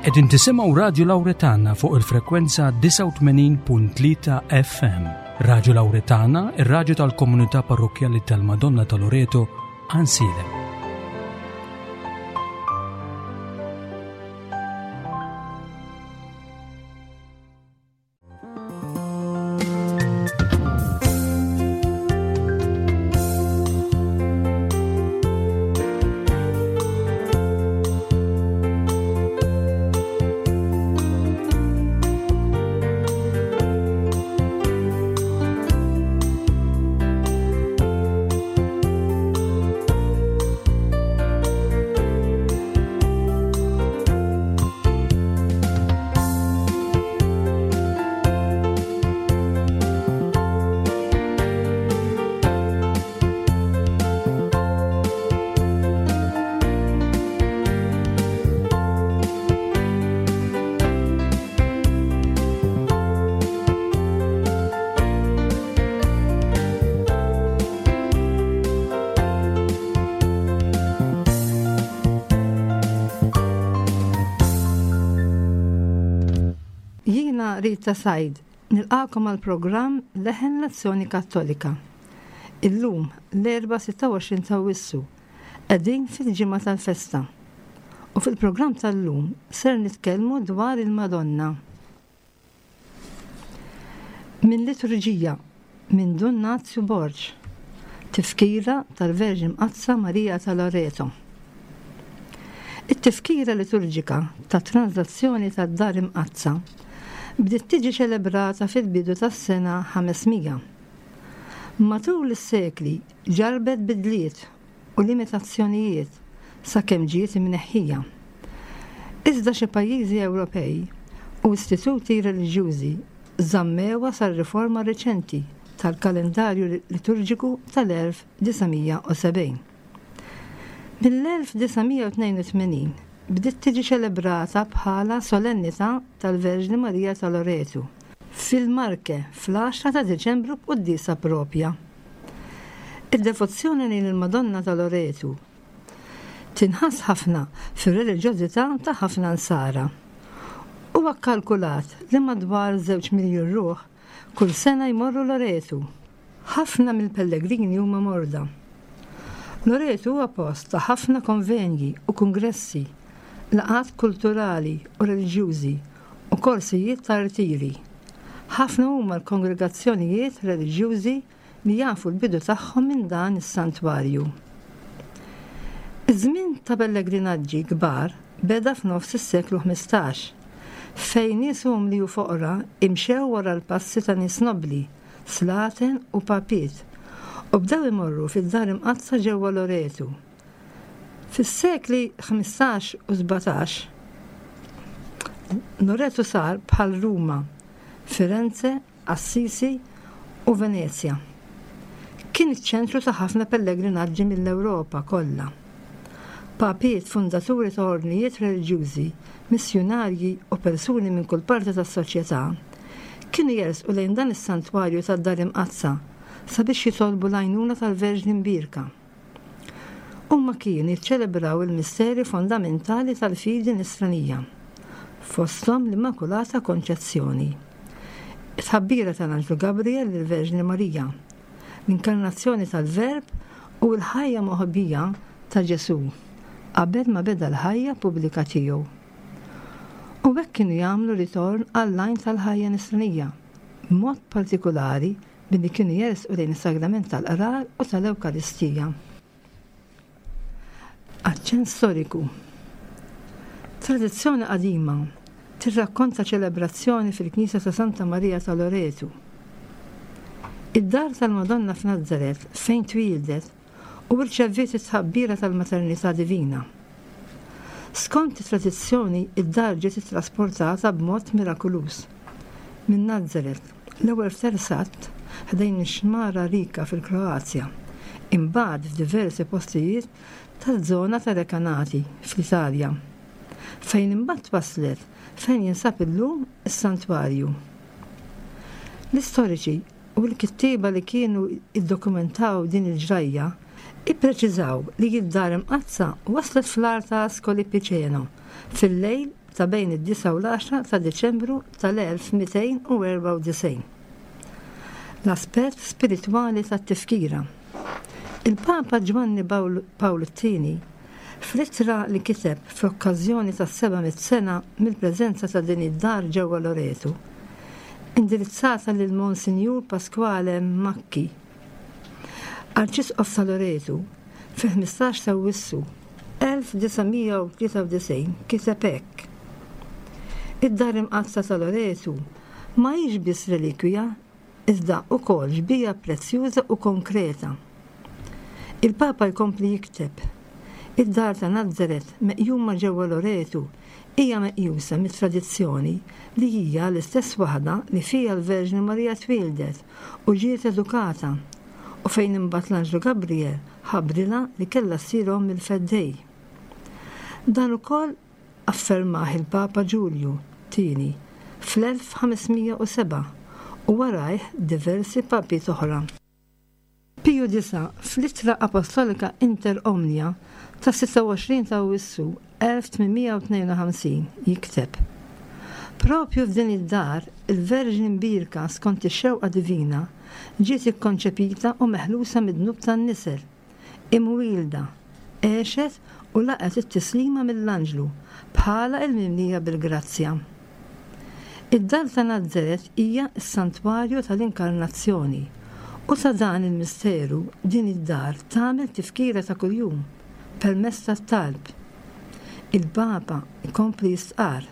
Qegħdin tisimgħu Radju Lawretana fuq il-frekwenza 89.3 FM. Radju Lawretana, ir-radju tal-komunità parrokkjali tal-Madonna ta' Loreto, Ansilem. Jiena Rita Said, nilqagħkom għall-programm Leħen l-Azzjoni Kattolika. Illum, l-Erbgħa 26 ta' Awwissu, qegħdin fil-ġimgħa tal-festa. U fil-programm tal-lum ser nitkellmu dwar il-Madonna. Minn Liturġija minn Dun Nazju Borg, Tifkira tal-Verġni Mqaddsa Marija ta' Loreto. It-tifkira liturġika tat-tranżazzjoni tad-Dar Imqaddsa bdiet tiġi ċelebrata fil-bidu tas-sena 500. Matul is-sekli ġarrbet bidliet u limitazzjonijiet sakemm ġiet imneħħija. Iżda xi pajjiżi Ewropej u istituti reliġjużi żammewha sar-riforma riċenti tal-kalendarju liturġiku tal-1970. Mill-1982 bdiet tiġi ċelebrata bħala Solennità tal-Verġni Marija ta' Loretu fil-Marche fl-għaxra ta' Diċembru b'quddiesa proprja. Id-devozzjoni lejn il-Madonna ta' Loretu tinħass ħafna fir-reliġjożità ta' ħafna Nsara. Huwa kkalkulat li madwar żewġ miljun ruħ kull sena jmorru Loretu. Ħafna mill-pellegrini huma morda. Loretu huwa post ta' ħafna konvenji u kungressi, laqgħat kulturali u reliġjużi u korsijiet ta' rtiri. Ħafna huma l-kongregazzjonijiet reliġjużi li jafu l-bidu tagħhom minn dan is-santwarju. Iż-żmien ta' pellegrinaġġi kbar beda f'nofs is-seklu 15, fejn nies umli u foqra imxew wara l-passi ta' nies nobbli, slaten u papiet, u bdew imorru fid-Dar Imqaddsa ġewwa Loretu. Fis-sekli 15 u 17, Loretu sar bħal Ruma, Firenze Assisi u Venezja. Kien iċ-ċentru ta' ħafna pellegrinaġġi mill-Ewropa kollha. Papiet, fundaturi ta' ordnijiet reliġjużi, missjunarji u persuni minn kull parti tas-soċjetà kienu jersqu lejn dan is-santwarju tad-Dar Imqaddsa sabiex jitolbu l-għajnuna tal-Verġni Mbierka. Huma kienu jiċċelebraw il-misteri fondamentali tal-fidi Nisranija, fosthom l-Immakulata Konċezzjoni, it-tħabbira tal-Anġlu Gabriel lill-Verġni Marija, l-Inkarnazzjoni tal-Verb u l-ħajja moħbija ta' Ġesù qabel ma beda l-ħajja pubblika tiegħu. U hekk kienu jagħmlu ritorn għall-għajn tal-ħajja Nisranija, b'mod partikulari billi kienu jersqu lejn is-Sagrament tal-Qrar u tal-Ewkaristija. Aċċenn storiku. Tradizzjoni qadima tirrakkonta ċelebrazzjoni fil-knisja ta' Santa Marija ta' Loretu. Id-dar tal-Madonna f'Nazaret fejn twieldet u rċeviet it-tħabbira tal-maternità divina. Skont it-tradizzjoni, id-dar ġiet ittrasportata b'mod mirakuluż minn Nazaret, l-ewwel f'Tersat, ħdejn ix-xmara Rika fil-Kroazja, imbagħad f'diversi postijiet taż-żona ta' Recanati fl-Italja, fejn imbagħad twasslet fejn jinsab illum is-santwarju. L-istoriċi u l-kittieba li kienu iddokumentaw din il-ġrajja ippreċiżaw li d-Dar Imqaddsa waslet fl-għar ta' Ascoli Piceno fil-lejl ta' bejn id-disgħa u l-għaxra ta' Diċembru tal-1294. L-aspett spiritwali tat-tifkira. Il-Papa Ġwanni Pawlu t-Tieni, fl-ittra li kiteb fl-okkażjoni tas-700 sena mill-preżenza ta' din id-dar ġewwa Loreto, indirizzata lil Monsinjur Pasquale Macchi, Arċisqof ta' Loreto, fil-15 ta' Awwissu 1993 kiteb hekk, Id-Dar Imqaddsa ta' Loreto ma hix biss relikwija iżda wkoll xbieha prezzjuża u konkreta. Il-Papa jkompli jikteb, Id-Dar ta' Nazaret meqjuma ġewwa Loreto hija meqjusa mit-tradizzjoni li hija l-istess waħda li fiha l-Verġni Marija twieldet u ġiet edukata u fejn imbagħad l-anġlu Gabriel ħabbrilha li kellha ssir omm il-Feddej. Dan ukoll affermah il-Papa Ġulju Tieni fl-1507 u warajh diversi papiet oħra. Piju Disa' fl-Ittra Apostolika Inter Omnia tas-26 ta' Awwissu 1852 jikteb, Proprju f'din id-dar il-Verġni Mbierka skont ix-xewqa divina ġiet ikkonċepita u meħlusa mid-dnub tan-nisel, imwielda, għexet u laqgħet it-tislima mill-anġlu bħala il-mimlija bil-grazzja. Id-dar ta' Nazaret hija s-santwarju tal-Inkarnazzjoni u ta' dan il-misteru din id-dar tagħmel tifkira ta' kuljum permezz tat-talb. Il-Papa jkompli jistqarr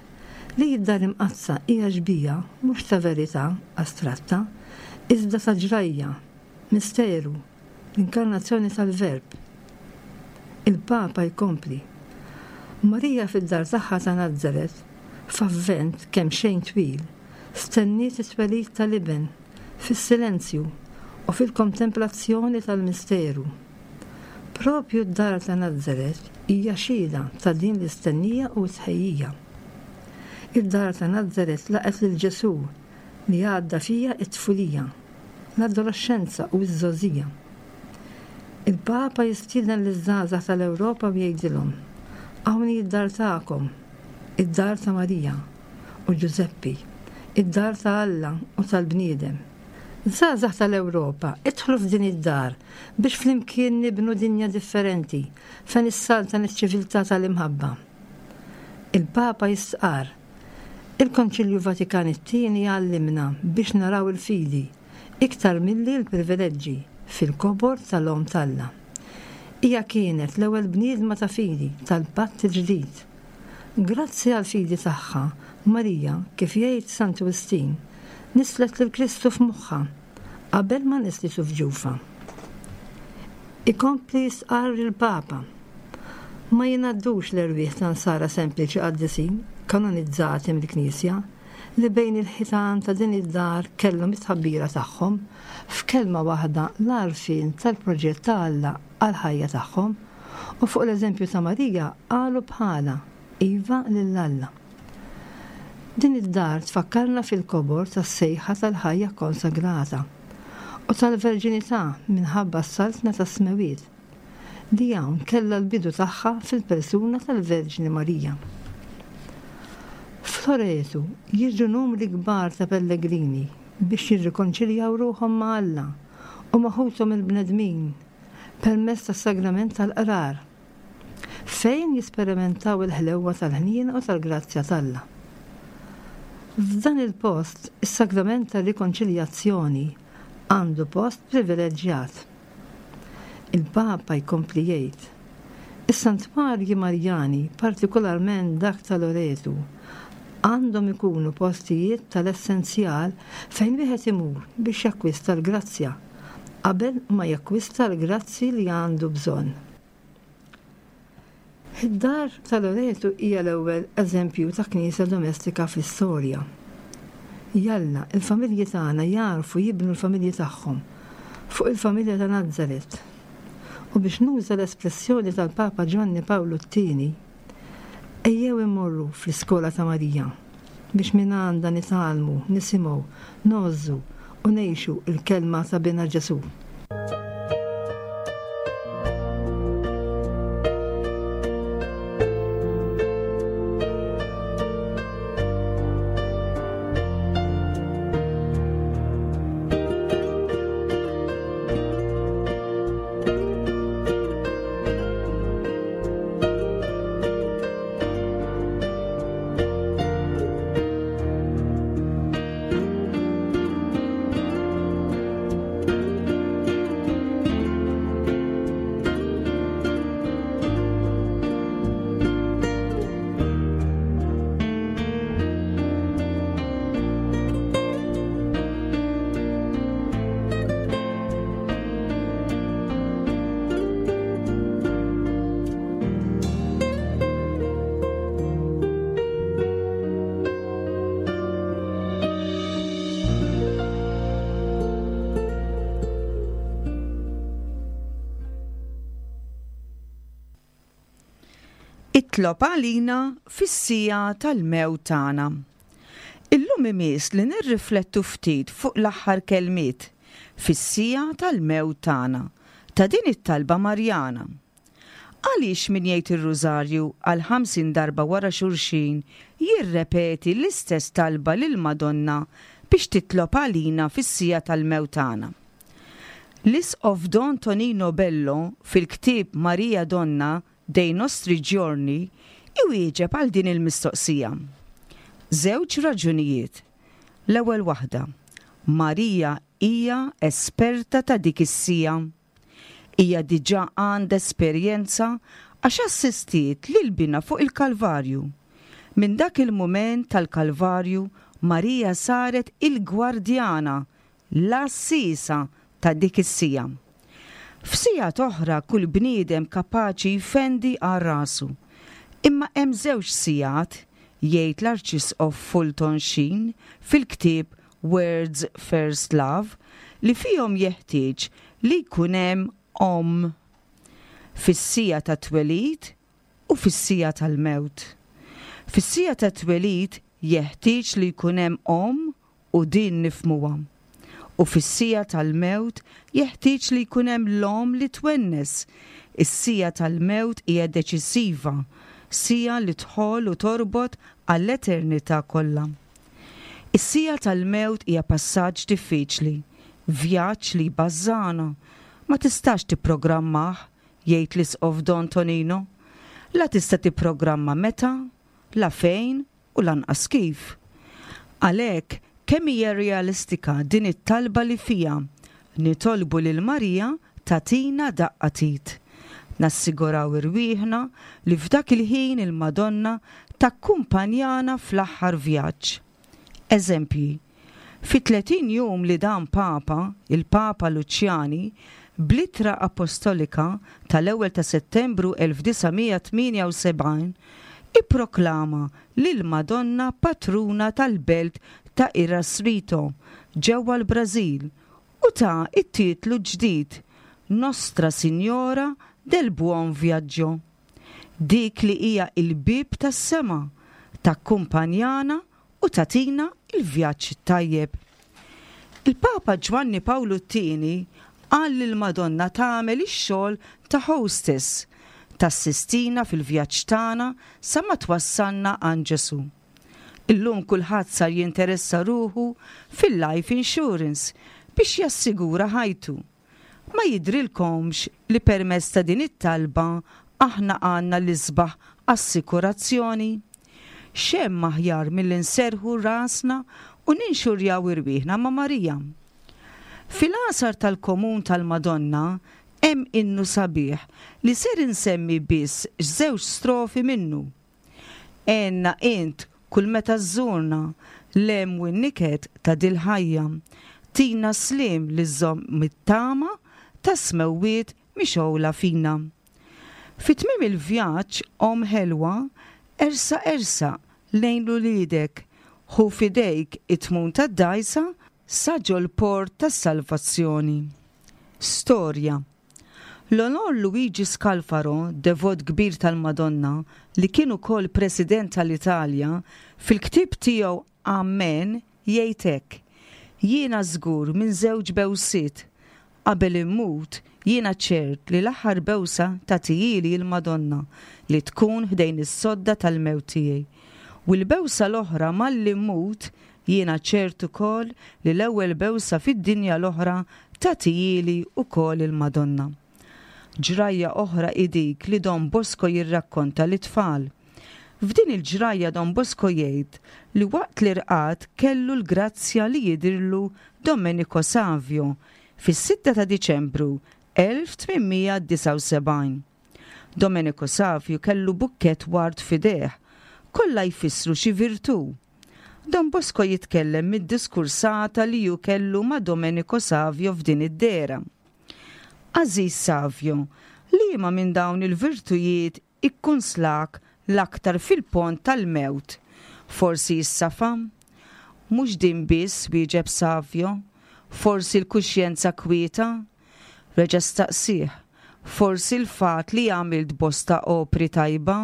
li d-Dar Imqaddsa hija xbieha mhux ta' verità astratta iżda ta' ġrajja, misteru, l-Inkarnazzjoni tal-Verb. Il-Papa jkompli, Marija fid-dar tagħha ta' Nazaret, f'avvent kemxejn twil, stenniet it-twelid tal-Iben fis-silenzju u fil-kontemplazzjoni tal-misteru. Proprju d-dar ta' Nazaret hija xhieda ta' din l-istennija u t-tħejjija. Id-dar ta' Nazaret laqgħet lil Ġesù li għadda fiha t-tfulija. l-adoloxxenza u ż-żgħożija. Il-Papa jistieden liż-żgħażagħ tal-Ewropa u jgħidilhom, Hawn hi d-dar tagħkom, id-dar ta' Marija u Ġużeppi, id-dar ta' Alla u tal-bniedem. Żgħażagħ tal-Ewropa, idħlu f'din id-dar biex flimkien nibnu dinja differenti fejn issaltan iċ-ċiviltà tal-imħabba. Il-Papa jistqarr, Il-Konċilju Vatikan it-Tieni jgħallimna biex naraw il-fidi, iktar milli l-privileġġi, fil-kobor tal-Omm t'Alla. Hija kienet l-ewwel bniedma ta' fidi tal-Patt il-Ġdid. Grazzi għall-fidi tagħha, Marija, kif jgħid Santu Wistin, nisslet lil Kristu f'moħħha, qabel ma nisslitu f'ġufha. Ikompli jistqarr il-Papa. Ma jingħaddux l-erwieħ ta' Nsara sempliċi qaddisin, kanonizzati mill-Knisja, li bejn il-ħitan ta' din id-dar kellhom it-tħabbira tagħhom, f'kelma waħda l-għarfien tal-proġett ta' Alla għall-ħajja tagħhom, u fuq l-eżempju ta' Marija qalu bħalha, Iva lil Alla. Din id-dar tfakkarna fil-kobor tas-sejħa tal-ħajja kkonsagrata u tal-verġinità minħabba s-Saltna tas-Smewwiet, li hawn kellha l-bidu tagħha fil-persuna tal-Verġni Marija. F'Loretu jiġu numri kbar ta' pellegrini biex jirrikonċiljaw ruħhom ma' Alla u ma' ħuthom il-bnedmin permezz tas-sagrament tal-Qrar, fejn jisperimentaw il-ħlewwa tal-ħniena u tal-grazzja t'Alla. F'dan il-post, is-sagrament tar-rikonċiljazzjoni għandu post privileġġjat. Il-Papa jkompli jgħid, Is-santwarji Marjani, partikolarment dak ta' Loretu, għandhom ikunu postijiet tal-essenzjal fejn wieħed imur biex jakkwista l-grazzja qabel ma jakkwista l-grazzi li għandu bżonn. Id-dar ta' Loreto hija l-ewwel eżempju ta' knisja domestika fl-istorja. Jalla, il-familji tagħna jagħrfu jibnu l-familji tagħhom fuq il-familja ta' Nazaret. U biex nuża l-espressjoni tal-Papa Ġwanni Pawlu t-Tieni, ejjew immorru fl-iskola ta' Marija biex mingħandha nitgħallmu, nisimgħu, ngħożżu u ngħixu l-kelma ta' Binha Ġesù. Itlob għalina fis-siegħa tal-mewt tagħna. Illum imiss li nirriflettu ftit fuq l-aħħar kelmiet, fis-siegħa tal-mewt tagħna, ta' din it-talba Marjana. Għaliex min jgħid ir-Rużarju għal 50 darba wara xulxin jirrepeti l-istess talba lill-Madonna biex titlob għalina fis-siegħa tal-mewt tagħna? L-Isqof Don Tonino Bello fil-ktieb Maria Donna dei nostri giorni iwieġeb għal din il-mistoqsija. Żewġ raġunijiet. L-ewwel waħda, Marija hija esperta ta' dik is-siegħa. Hija diġà għandha esperjenza għax assistiet lil Binha fuq il-Kalvarju. Minn dak il-mument tal-Kalvarju, Marija saret il-gwardjana, l-għassiesa ta' dik is-siegħa. F'sigħat oħra kull bniedem kapaċi jfendi għal rasu. Imma hemm żewġ sigħat, jgħid l-Arċisqof Fulton Sheen fil-ktieb Words First Love, li fihom jeħtieġ li jkun hemm omm. Fis-siegħa tat-twelid u fis-siegħa tal-mewt. Fis-siegħa tat-twelid jeħtieġ li jkun hemm omm u din nifhmuha. U fis-siegħa tal-mewt jeħtieġ li jkun hemm l-omm li twennes. Is-siegħa tal-mewt hija deċisiva, siegħa li tħoll u torbot għall-eternità kollha. Is-siegħa tal-mewt hija passaġġ diffiċli, vjaġġ li jbażżagħna. Ma tistax tipprogrammah, jgħid l-Isqof Don Tonino. La tista' tipprogramma meta, la fejn u lanqas kif. Għalhekk, kemm hija realistika din it-talba li fiha nitolbu lil Marija tagħtina daqqa t'id. Nassiguraw irwieħna li f'dak il-ħin il-Madonna takkumpanjana fl-aħħar vjaġġ. Eżempji, Fit-30 jum li dam Papa, il-Papa Luċjani, bl-Ittra Apostolika tal-ewwel ta' Settembru 1978, ipproklama lill-Madonna Patruna tal-belt ta' Irasrito ġewwa l-Brażil u ta t-titlu ġdid Nostra Signora del Buon Viaggio, dik li hija l-bieb tas-sema, takkumpanjana u tagħtina l-vjaġġ it-tajjeb. Il-Papa Ġwanni Pawlu t-Tieni qal lill-Madonna tagħmel ix-xogħol ta' hostess, tassistina fil-vjaġġ tagħna sa ma twassalna għand Ġesù. Illum kulħadd sar jinteressa ruħu fil-life insurance biex jassigura ħajtu. Ma jidhrilkomx li permezz ta' din it-talba aħna għandna l-isbaħ assikurazzjoni? X'hemm aħjar milli nserrħu rasna u ninxurjaw irwieħna ma' Marija? Fil-għasar tal-Komun tal-Madonna hemm innu sabiħ li ser insemmi biss żewġ strofi minnu. Għenna int kull meta żżurna, l-hemm u n-niket ta' dil-ħajja. Tina s-sliem li żżomm it-tama tas-smewwiet mixgħula fina. Fi tmiem il-vjaġġ, Omm ħelwa, ersaq ersaq lejn l-uliedek, ħu f'idejk it-tmun tad-dgħajsa sa ġol-port tas-salvazzjoni. Storja L-Onor Luigi Scalfaro, devot kbir tal-Madonna, li kien ukoll President tal-Italja, fil-ktieb tiegħu Amen jgħid hekk, Jiena żgur minn żewġ bewsiet. Qabel immut, jiena ċert li l-aħħar bewsa tagħtihieli l-Madonna li tkun ħdejn is-sodda tal-mewt tiegħi. U l-bewsa l-oħra malli mmut, Jiena ċert ukoll li l-ewwel bewsa fid-dinja l-oħra tagħtihieli wkoll il-Madonna. Ġrajja oħra hi dik li Don Bosco jirrakkonta lit-tfal. F'din il-ġrajja Don Bosco jgħid li waqt li rqad kellu l-grazzja li jidhirlu Domenico Savio fis-sitta ta' Diċembru 1879. Domenico Savio kellu bukkett ward f'idejh, kollha jfissru xi virtù. Don Bosco jitkellem mid-diskursata li hu kellu ma' Domenico Savio f'din id-dehra. Għażiż Savio, liema minn dawn il-virtujiet ikkunslak l-aktar fil-pont tal-mewt? Forsi s-safa? Mhux din biss, wieġeb Savio. Forsi l-kuxjenza kwieta? Reġa' staqsieh, Forsi l-fatt li għamilt bosta opri tajba?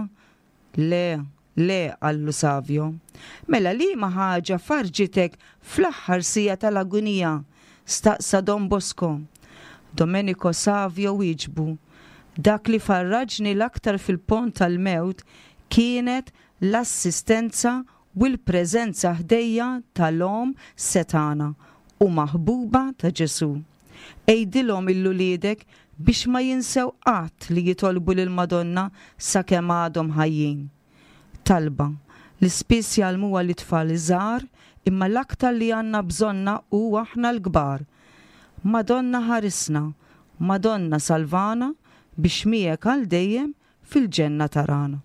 Le, le, qallu Savio. Mela liema ħaġa farrġitek fl-aħħar siegħa tal-agunija? staqsa Don Bosco. Domenico Savio wieġbu, Dak li farraġni l-aktar fil-pont tal-mewt kienet l-assistenza u l-preżenza ħdejja tal-Omm setgħana u maħbuba ta' Ġesù. Għidilhom 'il uliedek biex ma jinsew qatt li jitolbu lill-Madonna sakemm għadhom ħajjin. Talba, li spiss jgħallmuha lit-tfal żgħar imma l-aktar li għandna bżonnha hu aħna l-kbar. Madonna ħarisna, Madonna salvana biex miegħek għal dejjem fil-ġenna tarana.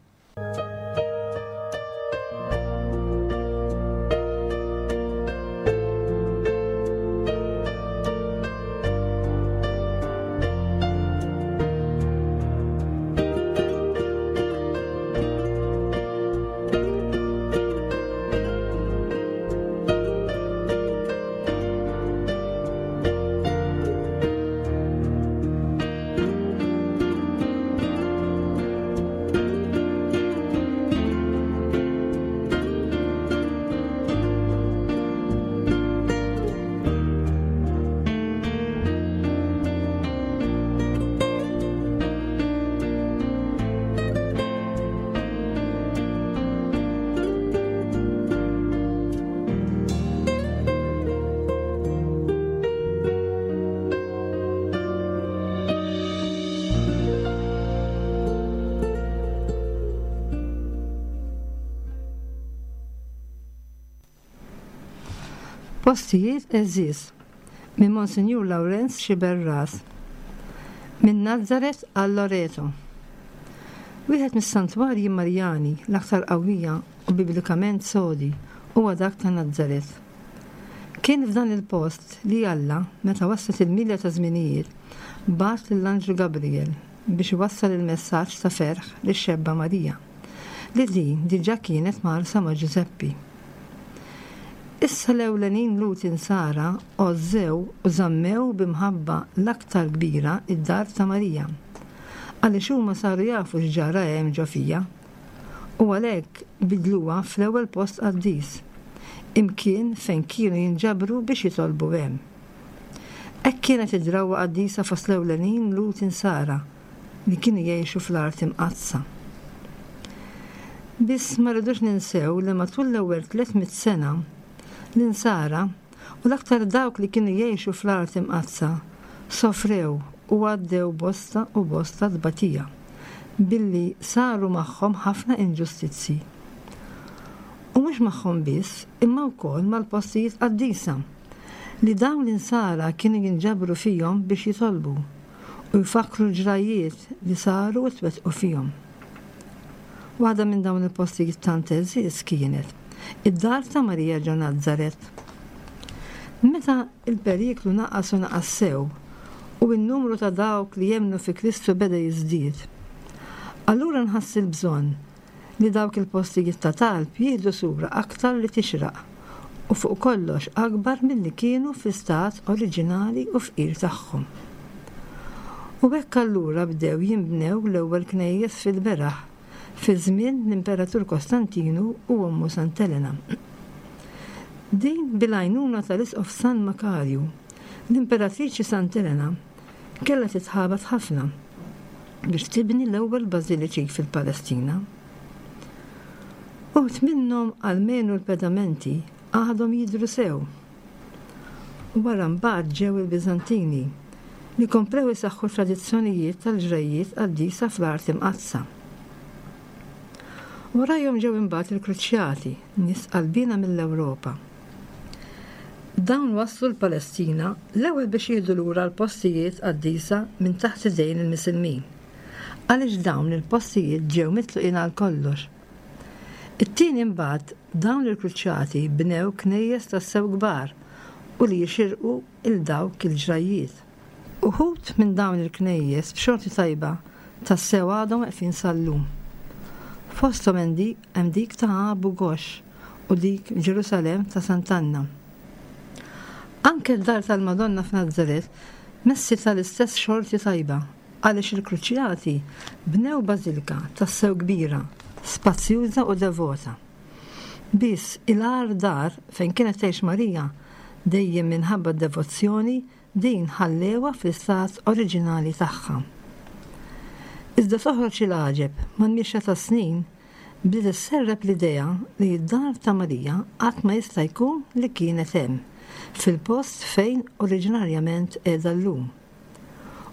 Postijiet għeżież minn Monsinjur Lawrenz Sciberras Minn Nazaret għal Loreto Wieħed mis-santwarji Marjani l-aktar qawwija u biblikament sodi huwa dak ta' Nazaret. Kien f'dan il-post li Alla, meta waslet il-milja taż-żminijiet, bagħat lill-anġlu Gabriel biex iwassal il-messaġġ ta' ferħ lix-xebba Marija, li din diġà kienet mgħarrsa ma' Ġużeppi. Issa l-ewlenin Lhud Insara għożżew u żammew bi mħabba l-aktar kbira d-dar ta' Marija, għaliex huma saru jafu x'ġara hemm ġo fiha, u għalhekk bidluha fl-ewwel post qaddis, imkien fejn kienu jinġabru biex jitolbu hemm. Hekk kienet id-drawwa qaddisa fost l-ewlenin Lhud Insara li kienu jgħixu fl-Art Imqaddsa. Biss ma rridux ninsew li matul l-ewwel 300 sena, l-Insara, u l-aktar dawk li kienu jgħixu fl-Art Imqaddsa, sofrew u għaddew bosta u bosta tbatija, billi saru magħhom ħafna inġustizzji. U mhux magħhom biss, imma wkoll mal-postijiet qaddisa, li dawn l-Insara kienu jinġabru fihom biex jitolbu u jfakkru l-ġrajjiet li saru u twettqu fihom. Waħda minn dawn il-postijiet tant għeżież kienet id-dar ta' Marija ġo Nazaret. Meta l-periklu naqas u naqas sew u n-numru ta' dawk li jemmnu fi Kristu beda jiżdied, allura nħass il-bżonn li dawk il-postijiet ta' talb jieħdu sura aktar li tixraq u fuq kollox akbar milli kienu fl-istat oriġinali u fqir tagħhom. U hekk allura bdew jinbnew l-ewwel knejjes fil-beraħ fi żmien l-Imperatur Kostantinu u ommu Sant'Elena. Din bil-għajnuna tal-Isqof San Makarju, l-Imperatriċi Sant'Elena kellha titħabat ħafna biex tibni l-ewwel bażiliċi fil-Palestina. Uħud minnhom almenu l-pedamenti għadhom jidhru sew. Wara mbagħad ġew il-Biżantini, li komplew isaħħu t-tradizzjonijiet tal-ġrajjiet qaddisa fl-Art Imqaddsa. Warajhom ġew imbagħad il-Kruċjati, nies qalbiena mill-Ewropa. Dawn waslu l-Palestina l-ewwel biex jieħdu lura l-postijiet qaddisa minn taħt idejn il-Misilmin, għaliex dawn il-postijiet ġew mitluqin għal kollox. It-tieni imbagħad dawn il-Kruċjati bnew knejjes tassew kbar u li jixirqu 'l dawk il-ġrajjiet. Uħud minn dawn il-knejjes b'xorti tajba tassew għadhom weqfin sal-lum. Fosthom hemm dik ta' Abu Ghosh u dik f'Ġerusalemm ta' Sant'Anna. Anke d-dar tal-Madonna f'Nazaret messitha l-istess xorti tajba għaliex il-Kruċjati bnew bażilka tassew kbira. spazjuża u devota. Biss il-agħar dar fejn kienet tgħix Marija, dejjem minħabba d-devozzjoni, din ħallewha fl-istat oriġinali tagħha. Iżda toħroġ il-għaġeb, mal-mixja tas-snin, bdiet isserrep l-idea li d-dar ta' Marija qatt ma jista' jkun li kienet hemm, fil-post fejn oriġinarjament qiegħda llum.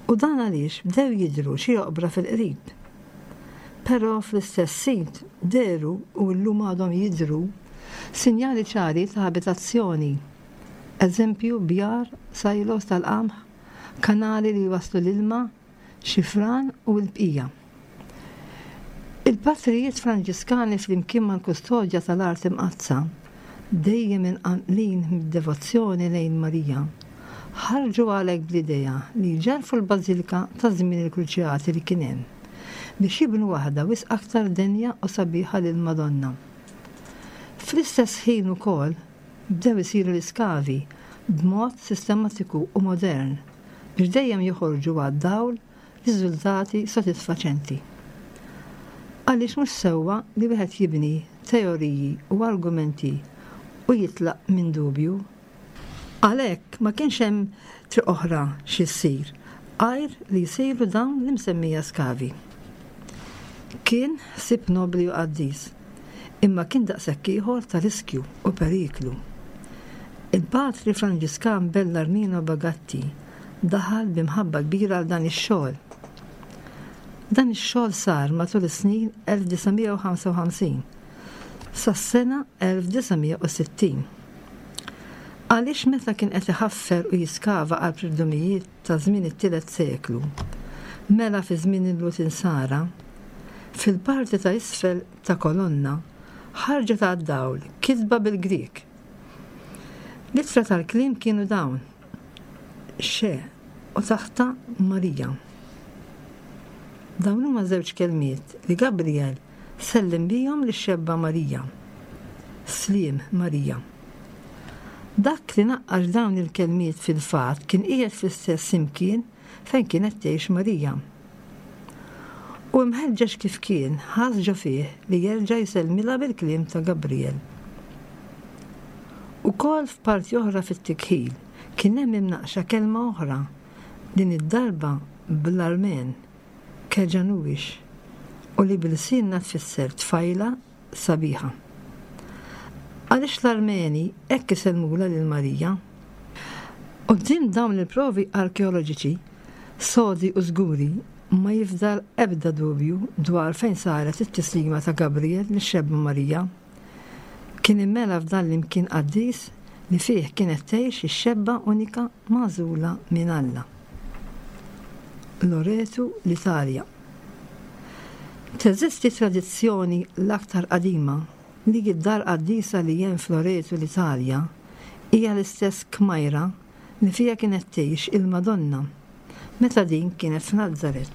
U dan għaliex bdew jidhru xi oqbra fil-qrib. Però fl-istess sit dehru u llum għadhom jidhru sinjali ċari ta' abitazzjoni. Eżempju bjar, silos tal-qamħ, kanali li jwasslu l-ilma, xi fran u l-bqija. Il-patrijiet Franġiskani flimkien mal-Kustodja tal-Art Imqaddsa, dejjem imqanqlin mid-devozzjoni lejn Marija, ħarġu għalhekk bl-idea li jġarrfu l-bażilka ta' żmien il-Kruċjati li kien hemm, biex jibnu waħda wisq aktar denja u sabiħa lill-Madonna. Fl-istess ħin ukoll bdew isiru l-iskavi b'mod sistematiku u modern biex dejjem joħorġu għad-dawl riżultati sodisfaċenti. Għaliex mhux sewwa li wieħed jibni teoriji u argumenti u jitlaq minn dubju? Għalhekk ma kienx hemm triq oħra xi ssir għajr li jsiru dawn l-imsemmija skavi. Kien ħsieb nobbli u qaddis, imma kien daqshekk ieħor ta' riskju u periklu. Il-Patri Franġiskan Bellarmino Bagatti daħal bi mħabba kbira għal dan ix-xogħol. Dan ix-xogħol sar matul is-snin 1955 sas-sena 1960. Għaliex meta kien qed iħaffer u jiskava qalb l-irdumijiet ta' żmien it-tielet seklu, mela fi żmien il-Lhud Insara, fil-parti ta' isfel ta' kolonna ħarġet għad-dawl kitba bil-Grieg. L-ittra tal-kliem kienu dawn, Xe u taħtha Marija. Dawn huma żewġ kelmiet li Gabriel sellem bihom lix-xebba Marija. Sliem Marija. Dak li naqqax dawn il-kelmiet fil-fatt kien qiegħed fl-istess imkien fejn kienet tgħix Marija. U imħeġġeġ kif kien, ħass ġo fih li jerġa' jsellmilha bil-kliem ta' Gabriel. Ukoll f'parti oħra fit-tikħil kien hemm imnaqqxa kelma oħra, din id-darba bl-Armen, Kejanuish, u li b'ilsienna tfisser tfajla sabiħa. Għaliex l-Armeni hekk isellmulha lil Marija? Quddiem dawn il-provi arkeoloġiċi sodi u żguri ma jifdal ebda dubju dwar fejn saret it-tislima ta' Gabriel lix-xebba Marija. Kien immela f'dan l-imkien qaddis li fih kienet tgħix ix-xebba unika magħżula minn Alla. Loreto, l-Italja. Teżisti tradizzjoni l-aktar qadima li d-dar qaddisa li hemm f'Loreto l-Italja hija l-istess kmajra li fiha kienet tgħix il-Madonna meta din kienet f'Nazaret.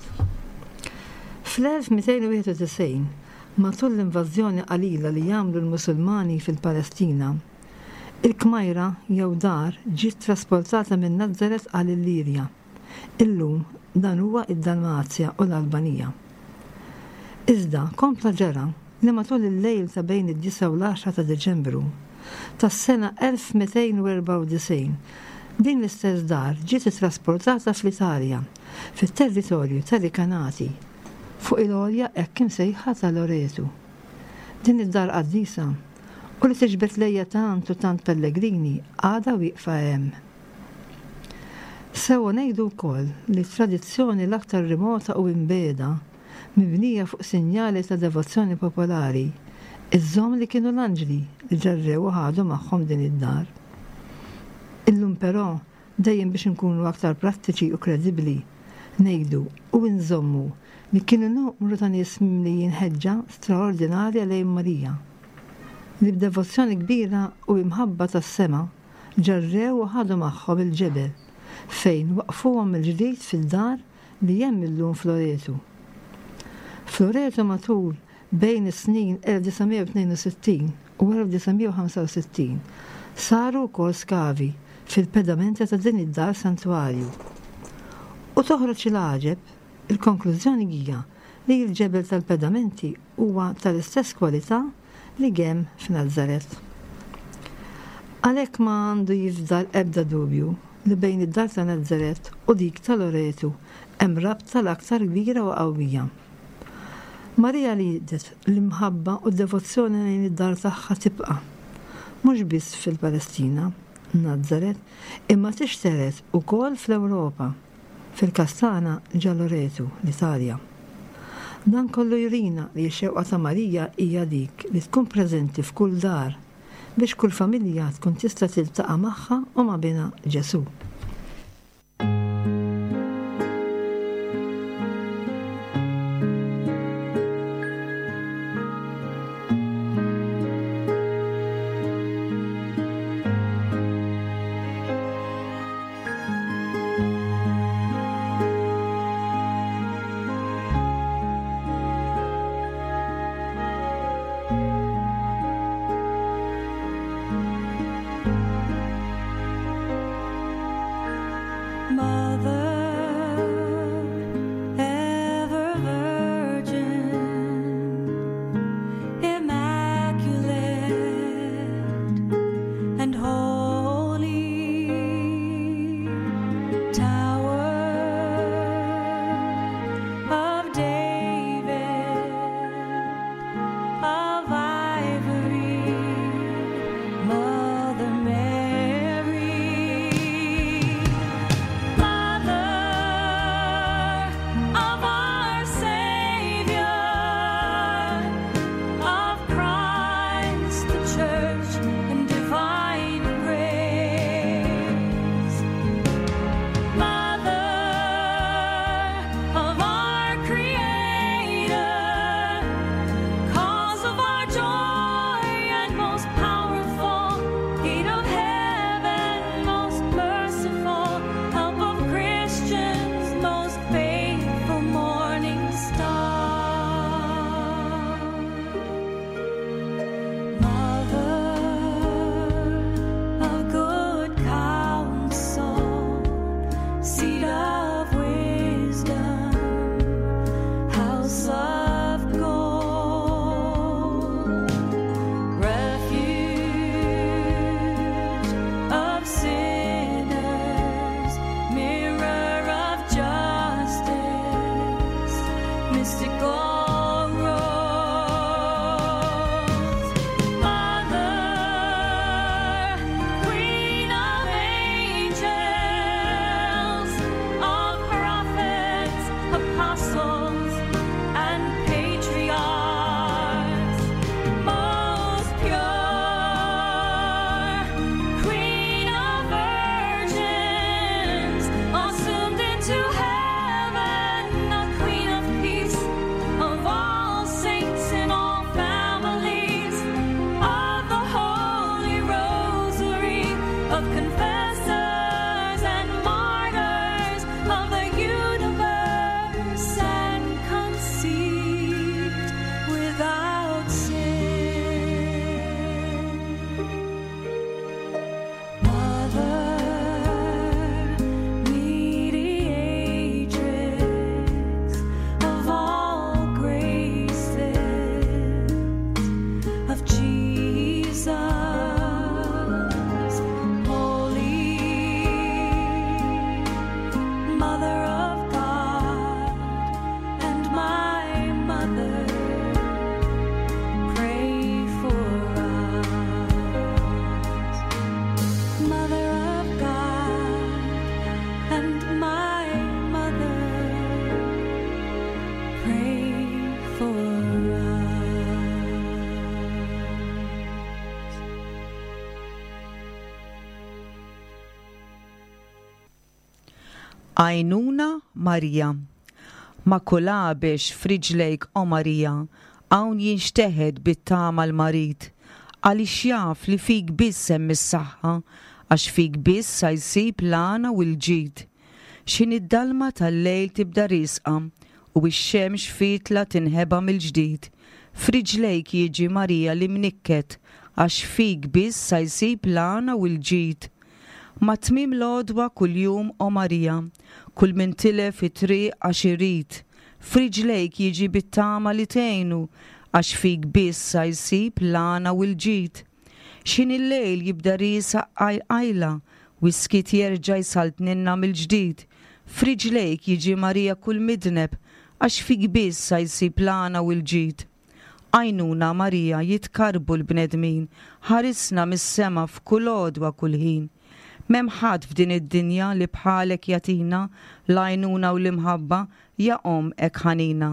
Fl-1291, matul l-invażjoni qalila li għamlu l-Musulmani fil-Palestina, il-kmajra jew dar ġiet trasportata minn Nazaret għal Illirja. Illum dan huwa d-Dalmazja u l-Albanija. Iżda kompla ġara li matul il-lejl ta' bejn id-disgħa u l-għaxra ta' Diċembru tas-sena 1294 din l-istess dar ġiet ittrasportata fl-Italja, fit-territorju ta' Rikanati, fuq il-għolja hekk imsejħa ta' Loretu. Din id-dar qaddisa, u li tiġbed lejha tant u tant pellegrini għadha wieqfa hemm. Sewwa ngħidu wkoll li t-tradizzjoni l-aktar remota u imbiegħda, mibnija fuq sinjali ta' devozzjoni popolari, iżżomm li kienu l-anġli li ġarrew u ħadu magħhom din id-dar. Illum però, dejjem biex inkunu aktar prattiċi u kredibbli, ngħidu u inżommu li kienu numru ta' nies mimlijin ħeġġa straordinarja lejn Marija, li b'devozzjoni kbira u imħabba tas-sema, ġarrew u ħadu magħhom il-ġebel, fejn waqqfuhom mill-ġdid fid-dar li hemm illum f'Loreto. F'Loreto matul bejn is-snin 1962 u 1965 saru wkoll skavi fil-pedamenti ta' din id-dar santwarju. U toħroġ il-għaġeb, il-konklużjoni hija. li l-ġebel tal-pedamenti huwa tal-istess kwalità li gemm f'Nazaret. Għalhekk ma għandu jifdal ebda dubju li bejn id-dar ta' Nazaret u dik ta' Loretu hemm rabta l-aktar kbira u qawwija. Marija riedet l-imħabba u d-devozzjoni lejn id-dar tagħha tibqa', mhux biss fil-Palestina, Nazaret, imma tixtered ukoll fl-Ewropa. Fil-każ tagħna ġa Loretu, l-Italja. Dan kollu jurina li x-xewqa ta' Marija hija dik li tkun preżenti f'kull dar biex kull familja tkun tista' tiltaqa' magħha u ma' binha Ġesù. Għajnuna Marija. Ma' kull għabex f'riġlejk O Marija, hawn jinxteħet bit-tama l-marid, għaliex jaf li fik biss hemm is-saħħa, għax fik biss sa jsib l-għana u l-ġid. X'ħin id-dalma tal-lejl tibda riesqa u x-xemx fietla tinħeba mill-ġdid, f'riġlejk jiġi Marija l-imnikket għax fik biss sa jsib l-għana u l-ġid. Ma' tmiem l-għodwa kuljum, o Marija, kull min tilef it-triq għax irid, F'riġlejk jiġi bit-tama li tgħinu, għax fik biss sa jsib l-għana u l-ġid. X'ħin il-lejl jibda riesaq qajl qajla, u s-skiet jerġa' jsaltnilna mill-ġdid, f'riġlejk jiġi Marija kull midneb, għax fik biss sa jsib l-għana u l-ġid. Għajnuna Marija jitkarrbu l-bnedmin, ħarisna mis-sema f'kull għodwa kull ħin. M'hemm ħadd f'din id-dinja li bħalek jagħtina l-għajnuna u l-imħabba, ja Omm hekk ħanina.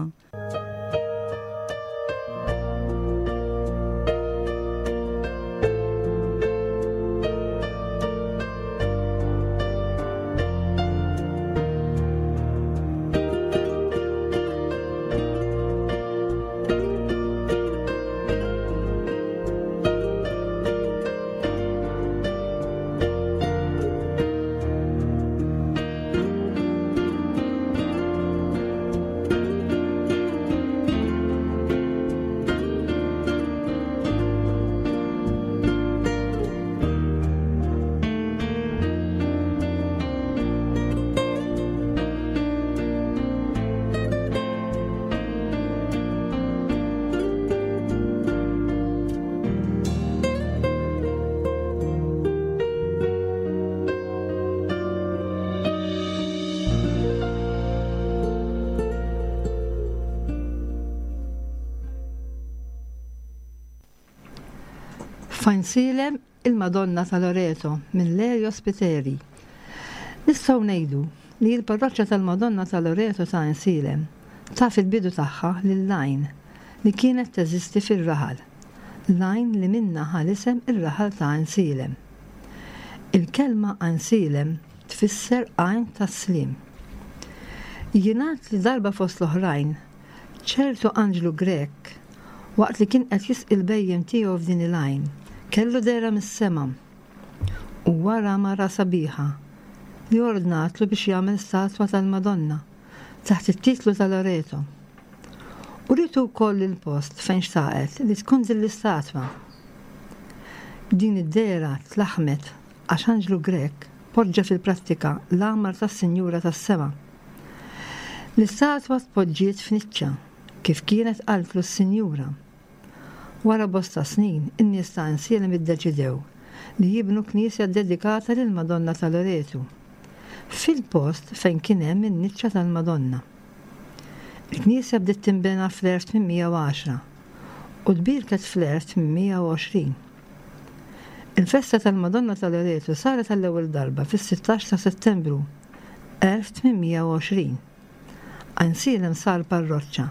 F'Għajnsielem Il-Madonna ta' Loreto minn Lelio Spiteri. Nistgħu ngħidu li l-parroċċa tal-Madonna ta' Loreto ta' Għajnsielem taf il-bidu tagħha lill-għajn li kienet teżisti fir-raħal, l-għajn li minnha ħa l-isem ir-raħal ta' Għajnsielem. Il-kelma Għajnsielem tfisser għajn tas-sliem. Jingħad li darba fost l-oħrajn, ċertu anġlu Grek, waqt li kien qed jisqi l-bhejjem tiegħu f'din il-għajn, kellu dehra mis-sema u wara mara sabiħa li ordnatlu biex jagħmel statwa tal-Madonna taħt it-titlu ta' Loreto. Urietu wkoll il-post fejn xtaqet li tkun din l-istatwa. Din id-dehra tlaħħmet għax anġlu Grek poġġa fil-prattika l-għamar tas-Sinjura tas-Sema. L-istatwa tpoġġiet f'niċċa, kif kienet qaltlu s-Sinjura. Wara bosta snin, in-nies ta' Għajnsielem iddeċidew li jibnu knisja ddedikata lill-Madonna ta' Loretu, fil-post fejn kien hemm in-niċċa tal-Madonna. Il-knisja bdiet tinbena fl-1810 u tbierket fl-1820. Il-festa tal-Madonna ta' Loretu saret għall-ewwel darba fis-16 ta' Settembru 1820. Għajnsielem sar parroċċa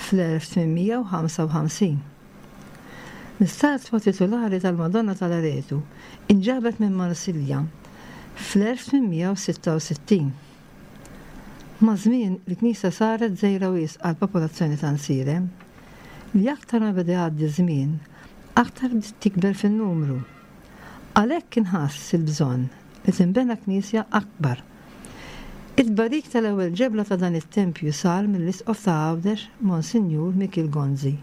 fl-1855. L-istatwa titulari tal-Madonna ta' Loretu inġabet minn Marsilja fl-1866. Maż-żmien, il-knisja saret żgħira wisq għall-popolazzjoni ta' Nsielem, li aktar ma beda jgħaddi ż-żmien, aktar bdiet tikber fin-numru. Għalhekk inħass il-bżonn li tinbena knisja akbar. It-tbarik tal-ewwel ġebla ta' dan it-tempju sar mill-Isqof ta' Għawdex Monsinjur Mikiel Gonzi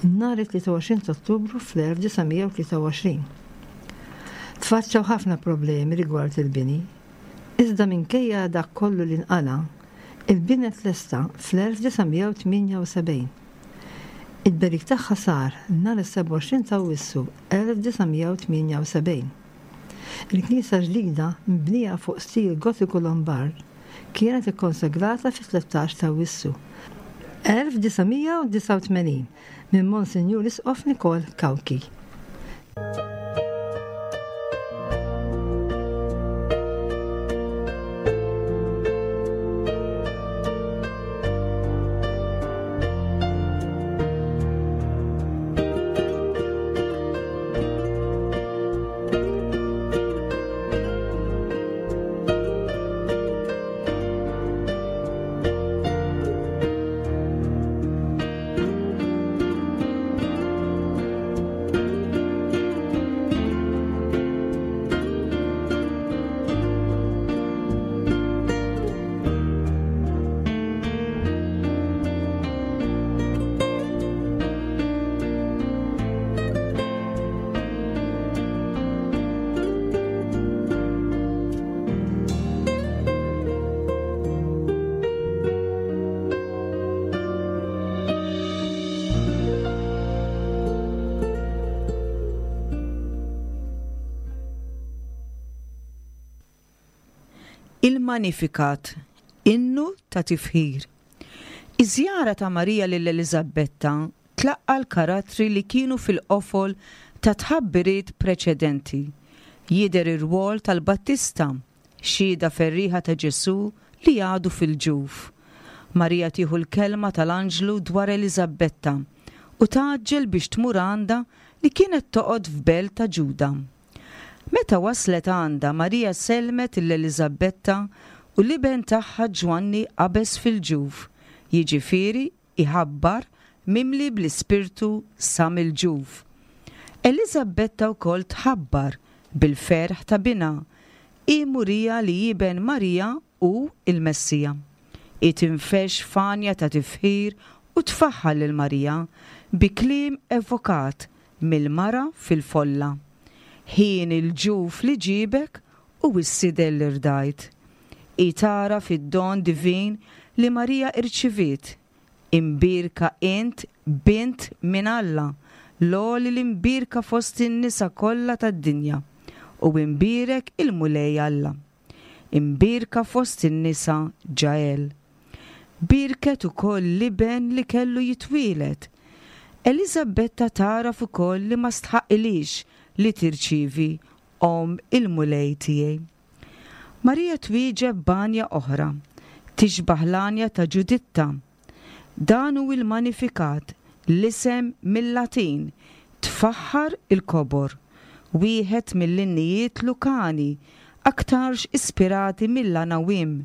nhar it-23 ta' Ottubru fl-1923. Tfaċċaw ħafna problemi rigward il-bini. Iżda minkejja dak kollu li nqala', il-bini tlesta fl-1978. It-tberik tagħha sar nhar is-27 ta' Awwissu 1978. Il-knisja ġdida, mibnija fuq stil Gotiku Lombard, kienet ikkonsagrata fit-13 ta' Awwissu 1989 minn Monsinjur Isqof Nikol Cauchi. Il-Magnificat, innu ta' tifħir. Iż-żjara ta' Marija lil Eliżabbetta tlaqqa' l-karattri li kienu fil-qofol ta' tħabbiriet preċedenti. Jidher ir-rwol tal-Battista, xhieda ferrieħa ta' Ġesù li għadu fil-ġuf. Marija tieħu l-kelma tal-anġlu dwar Eliżabbetta u tgħaġġel biex tmur għandha li kienet toqgħod f'belt ta' Ġuda. Meta waslet għandha, Marija sellmet 'l Eliżabbetta u l-iben tagħha Ġwanni qabeż fil-ġuf, jiġifieri iħabbar, mimli bl-Ispirtu sa mill-ġuf. Eliżabbetta wkoll tħabbar bil-ferħ ta' binha, hi murija li iben Marija hu l-Messija. Hi tinfexx f'għanja ta' tifħir u tfaħħar lil Marija bi kliem evokat mill-mara fil-folla, Ħien il-ġuf li ġiebek u s-sider li rdajt. Hi tagħraf id-don divin li Marija irċiviet, Imbierka int, bint minn Alla, l-għoli l-imbierka fost in-nisa kollha tad-dinja, u imbierek il-Mulej Alla. Imbierka fost in-nisa Ġael. Bierket ukoll l-iben li kellu jitwieled. Eliżabetta tagħraf ukoll li ma stħaqqilhiex li tirċievi omm il-Mulej tiegħi. Marija twieġeb b'għanja oħra, tixbah l-għanja ta' Ġuditta. Dan hu il-Magnificat, l-isem mil-Latin, tfaħħar il-kobor, wieħed mill-innijiet Lukani, aktarx ispirati mill-Anawim.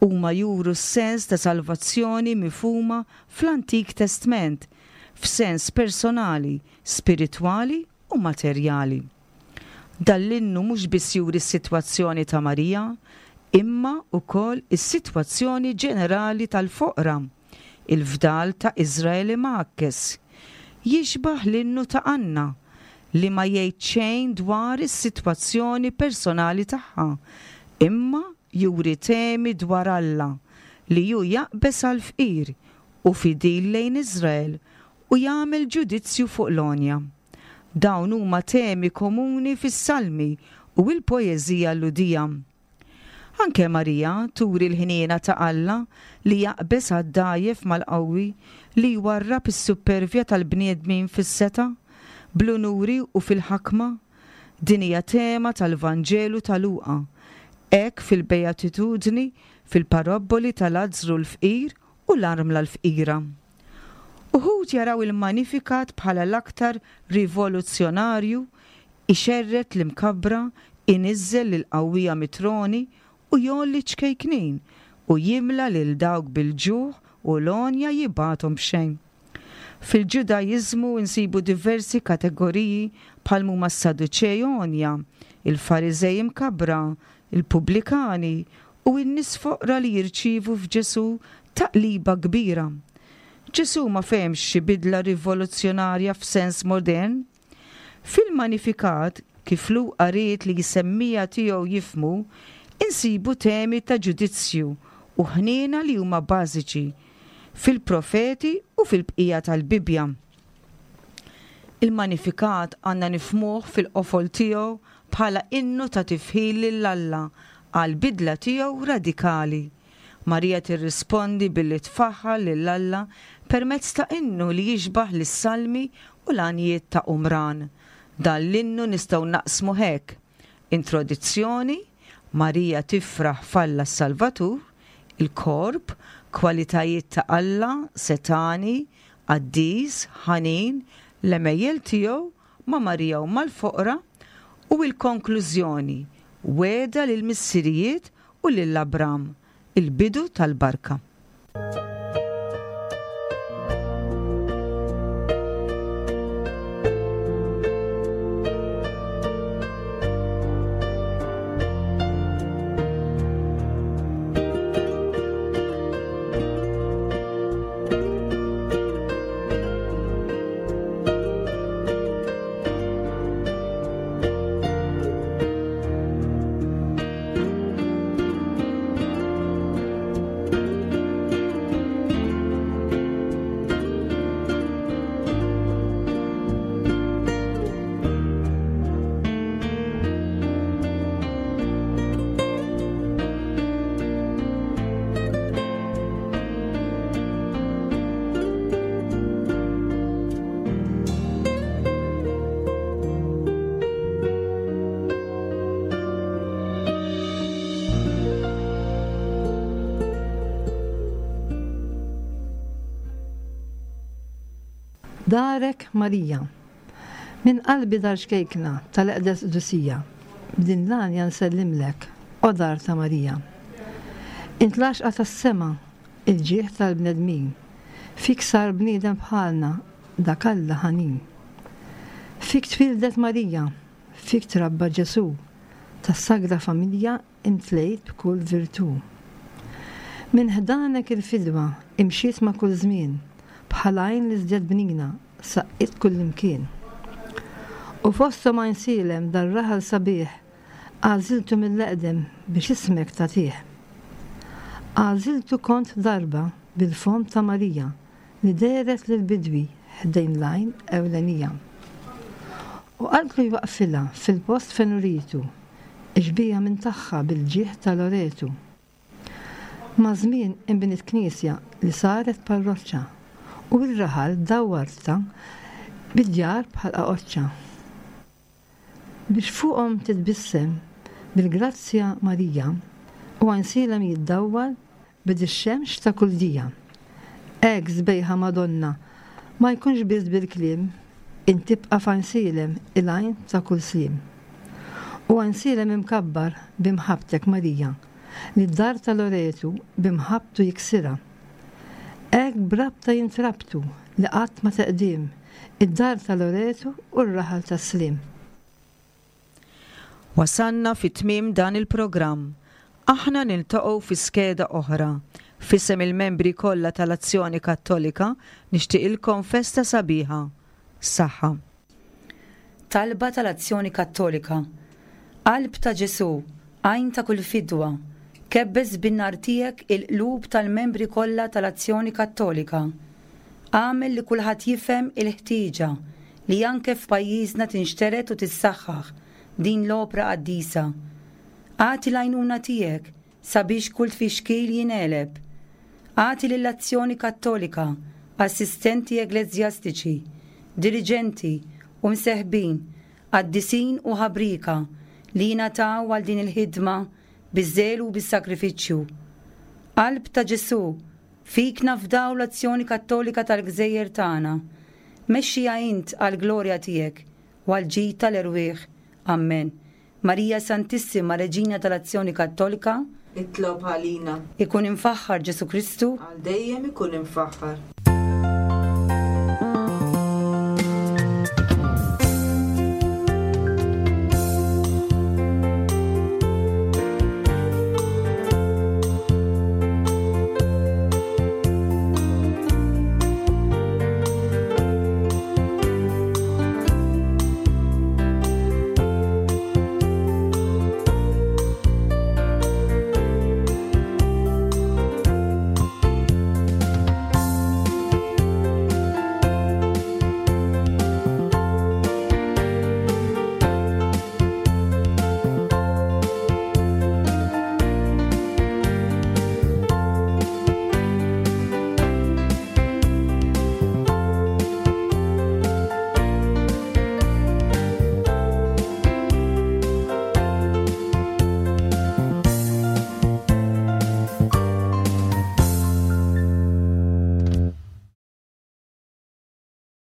Huma juru s-sens ta' salvazzjoni mifhuma fl-Antik Testment, f'sens personali, spiritwali u materjali. Dan l-innu mhux biss juri s-sitwazzjoni ta' Marija, imma wkoll is-sitwazzjoni ġenerali tal-foqra, il-fdal ta' Iżrael imgħakkes. Jixbah l-innu ta' Anna, li ma jgħid xejn dwar is-sitwazzjoni personali tagħha, imma juri temi dwar Alla, li hu jaqbeż għall-fqir, hu fidil lejn Iżrael, u jagħmel ġudizzju fuq l-għonja. Dawn huma temi komuni fis-Salmi u l-poeżija Lhudija. Anke Marija turi l-ħniena ta' Alla li jaqbeż għad-dgħajjef mal-qawwi, li jwarrab is-suppervja tal-bniedmin fis-setgħa, bl-unuri u fil-ħakma. Din hija tema tal-Vanġelu ta' Luqa, hekk fil-Beatitudni, fil-parabboli ta' Lazzru l-fqir u l-armla l-fqira. Uħud jaraw il-Magnificat bħala l-aktar rivoluzzjonarju, ixerred l-imkabbra, iniżżel lill-qawwija mit-troni u jgħolli ċ-ċkejknin, u jimla lil dawk bil-ġuħ u l-għonja jibgħathom b'xejn. Fil-Ġudaiżmu nsibu diversi kategoriji bħal m'huma s-Saduċej għonja, il-Fariżej imkabbra, il-pubblikani, u n-nies foqra li jirċievu f'Ġesù taqliba kbira. Ġesù ma fehemx xi bidla rivoluzzjonarja f'sens modern. Fil-Magnificat, kif Luqa ried li s-semmiegħa tiegħu jifhmu, insibu temi ta' ġudizzju u ħniena li huma bażiċi fil-profeti u fil-bqija tal-Bibbja. Il-Magnificat għandna nifhmuh fil-qofol tiegħu bħala innu ta' tifħir lil Alla għall-bidla tiegħu radikali. Marija tirrispondi billi tfaħħar lil Alla permezz ta' innu li jixbah lis-salmi u l-għanjiet ta' Qumran. Dan l-innu nistgħu naqsmuh hekk, Introdizzjoni, Marija tifraħ f'Alla s-Salvatur, il-korp, kwalitajiet ta' Alla, setgħani, qaddis, ħanin, l-għemejjel tiegħu, ma' Marija u mal-foqra, u il-konklużjoni, wegħda lill-missirijiet u lil Abram, il-bidu tal-barka. Darek Marija. Minn qalbi dar ċkejkna tal-eqdes qdusija, b'din l-għanja nsellimlek, o dar ta' Marija. Int l-għaxqa tas-sema, il-ġieħ tal-bnedmin, fik sar bniedem bħalna dak Alla ħanin. Fik twieldet Marija, fik trabba Ġesù, tas-Sagra Familja Imtlejt b'kull virtù. Minn ħdanek il-fidwa imxiet ma' kull żmien, bħal għajn l-iżjed bnina saqqiet kullimkien. U fosthom Għajnsielem dar-raħal sabiħ għażiltu mill-eqdem biex ismek tagħtih. Għażiltu kont darba bil-fomm ta' Marija li dehret lill-bidwi ħdejn l-għajn ewlenija. U qaltlu jwaqqfilha fil-post fejn uritu x-xbieha minn tagħha bil-ġieħ ta' Loretu. Maż-żmien inbniet knisja li saret parroċċa u r-raħal dawwartha bi djar bħal qaqoċċa. Biex fuqhom titbissem bil-grazzja Marija u Għajnsielem jiddawwal b'id ix-xemx ta' kull dija. Hekk sbejħa Madonna ma jkunx biss bil-kliem int tibqa' f'Għajnsielem il-għajn ta' kull sliem. U Għajnsielem imkabbar bi mħabbtek Marija li d-dar ta' Loretu bi mħabbtu jiksirha. Hekk b'rabta jintrabtu li qatt ma teqdiem Id-dar ta' Loretu u r-raħal tas-Sliem. Wasalna fi tmiem dan il-programm. Aħna niltaqgħu fi skeda oħra. F'isem il-membri kollha tal-Azzjoni Kattolika nixtieqilkom festa sabiħa. Saħħa. Talba tal-Azzjoni Kattolika Qalb ta' Ġesù, għajn ta' kull fidwa, kebbes bin-nar tiegħek il-qlub tal-membri kollha tal-Azzjoni Kattolika. Agħmel li kulħadd jifhem il-ħtieġa li anke f'pajjiżna tinxtered u tissaħħaħ din l-opra qaddisa. Agħti l-għajnuna tiegħek sabiex kull tfixkil jingħeleb. Agħti lill-Azzjoni Kattolika assistenti egleżjastiċi, diriġenti u mseħbin qaddisin u ħabrieka li jingħataw għal din il-ħidma biż-żelu u bis-sagrifiċċju. Qalb ta' Ġesù, fik nafdaw l-Azzjoni Kattolika tal-gżejjer tagħna. Mexxiha int għall-glorja tiegħek u għall-ġid tal-erwieħ. Ammen. Marija Santissima, Reġina tal-Azzjoni Kattolika, Itlob għalina. Ikun imfaħħar Ġesù Kristu. Għal dejjem ikun imfaħħar.